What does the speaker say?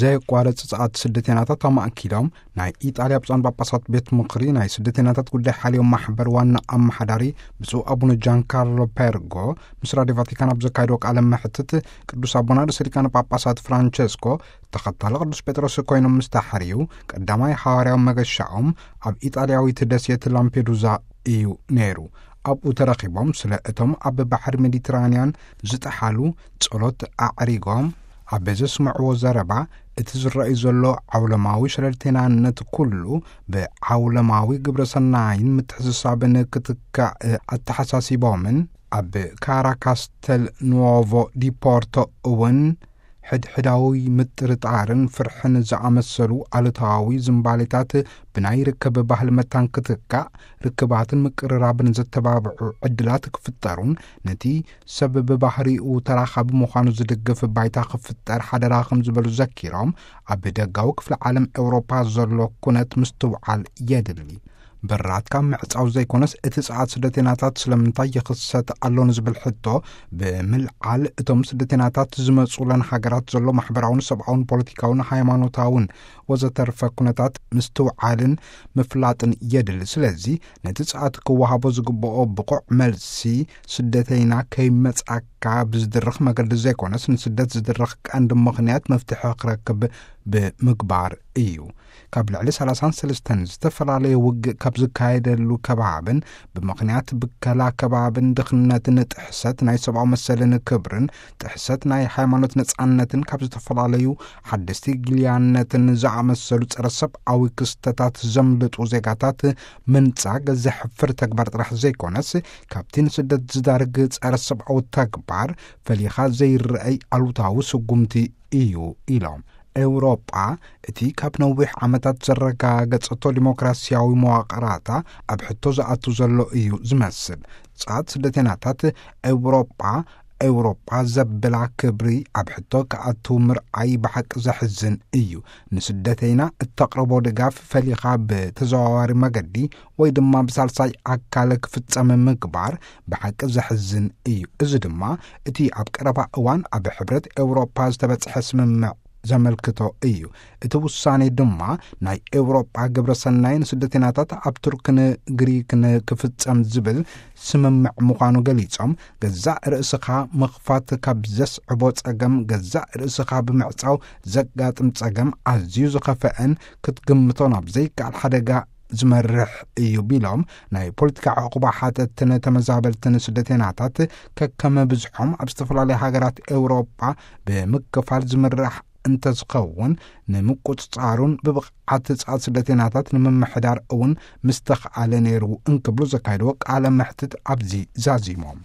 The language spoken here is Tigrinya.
ዘየቋረጽ ጸዓት ስደተይናታት ኣማእኪሎም፣ ናይ ኢጣልያ ብፁዓን ጳጳሳት ቤት ምኽሪ ናይ ስደተይናታት ጉዳይ ሓልዮም ማሕበር ዋና ኣመሓዳሪ ብፁዕ ኣቡነ ጃንካርሎ ፔርጎ ምስ ራድዮ ቫቲካን ኣብ ዘካየድዎ ቃለ መሕትት፣ ቅዱስ ኣቦና ርእሰ ሊቃነ ጳጳሳት ፍራንቸስኮ ተኸታሊ ቅዱስ ጴጥሮስ ኮይኖም ምስ ተሓርዩ፣ ቀዳማይ ሓዋርያዊ መገሻኦም ኣብ ኢጣልያዊት ደሴት ላምፔዱዛ እዩ ነይሩ። ኣብኡ ተረኺቦም ስለ እቶም ኣብ ባሕሪ ሜዲትራንያን ዝጠሓሉ ጸሎት ኣዕሪጎም፣ ኣብ ዘስምዕዎ ዘረባ፣ እቲ ዝረኣዩ ዘሎ ዓውለማዊ ሸለልተይናነት ኩሉ ብዓውለማዊ ግብረ ሰናይን ምትሕስሳብን ክትካእ ኣተሓሳሲቦምን፣ ኣብ ካራ ካስተል ኑዎቮ ዲፖርቶ እውን ሕድሕዳዊ ምጥርጣርን ፍርሕን ዝኣመሰሉ ኣሉታዊ ዝምባሌታት ብናይ ርክብ ባህሊ መታን ክትካእ፣ ርክባትን ምቅርራብን ዘተባብዑ ዕድላት ክፍጠሩን፣ ነቲ ሰብ ብባህሪኡ ተራኻቢ ምዃኑ ዝድግፍ ባይታ ክፍጠር ሓደራ ከም ዝበሉ ዘኪሮም፣ ኣብ ደጋዊ ክፍሊ ዓለም ኤውሮፓ ዘሎ ኩነት ምስትውዓል የድሊ። በራት ካብ ምዕጻው ዘይኮነስ፣ እቲ ጸዓት ስደተይናታት ስለምንታይ ይኽሰት ኣሎ ንዝብል ሕቶ ብምልዓል፣ እቶም ስደተይናታት ዝመጹለን ሃገራት ዘሎ ማሕበራውን ሰብኣውን ፖለቲካውን ሃይማኖታውን ወዘተርፈ ኩነታት ምስትውዓልን ምፍላጥን የድሊ። ስለዚ ነቲ ጸዓት ክወሃቦ ዝግብኦ ብቑዕ መልሲ፣ ስደተይና ከይመጻካ ብዝድርኽ መገዲ ዘይኮነስ፣ ንስደት ዝድርኽ ቀንዲ ምኽንያት መፍትሒ ክረክብ ብምግባር እዩ። ካብ ልዕሊ ሰላሳን ሰለስተን ዝተፈላለየ ውግእ ካብ ዝካየደሉ ከባብን፣ ብምኽንያት ብከላ ከባብን ድኽነትን ጥሕሰት ናይ ሰብኣዊ መሰልን ክብርን፣ ጥሕሰት ናይ ሃይማኖት ነጻነትን ካብ ዝተፈላለዩ ሓደስቲ ግልያነትን ዝኣመሰሉ ጸረ ሰብኣዊ ክስተታት ዘምልጡ ዜጋታት ምንጻግ ዘሕፍር ተግባር ጥራሕ ዘይኮነስ፣ ካብቲ ንስደት ዝዳርግ ጸረ ሰብኣዊ ተግባር ፈሊኻ ዘይረኣይ ኣሉታዊ ስጉምቲ እዩ ኢሎም። ኤውሮጳ እቲ ካብ ነዊሕ ዓመታት ዘረጋገጸቶ ዲሞክራሲያዊ መዋቕራታ ኣብ ሕቶ ዝኣቱ ዘሎ እዩ ዝመስል። ጸዓት ስደተይናታት ኤውሮጳ፣ ኤውሮጳ ዘብላ ክብሪ ኣብ ሕቶ ክኣቱ ምርኣይ ብሓቂ ዘሕዝን እዩ። ንስደተይና እተቕርቦ ድጋፍ ፈሊኻ ብተዘዋዋሪ መገዲ ወይ ድማ ብሳልሳይ ኣካል ክፍጸም ምግባር ብሓቂ ዘሕዝን እዩ። እዚ ድማ እቲ ኣብ ቀረባ እዋን ኣብ ሕብረት ኤውሮፓ ዝተበጽሐ ስምምዕ ዘመልክቶ እዩ። እቲ ውሳኔ ድማ ናይ ኤውሮጳ ግብረ ሰናይ ንስደተይናታት ኣብ ቱርክን ግሪክን ክፍጸም ዝብል ስምምዕ ምዃኑ ገሊጾም፣ ገዛእ ርእስኻ ምኽፋት ካብ ዘስዕቦ ጸገም፣ ገዛእ ርእስኻ ብምዕጻው ዘጋጥም ጸገም ኣዝዩ ዝኸፈአን ክትግምቶ ናብ ዘይከኣል ሓደጋ ዝመርሕ እዩ ቢሎም፣ ናይ ፖለቲካ ዕቑባ ሓተትን ተመዛበልትን ስደተይናታት ከከመ ብዝሖም ኣብ ዝተፈላለዩ ሃገራት ኤውሮጳ ብምክፋል ዝምራሕ እንተዝኸውን፣ ንምቁጽጻሩን ብብቕዓት ጻት ስደተይናታት ንምምሕዳር እውን ምስተኽኣለ ነይሩ እንክብሉ ዘካየድዎ ቃለ መሕትት ኣብዚ ዛዚሞም።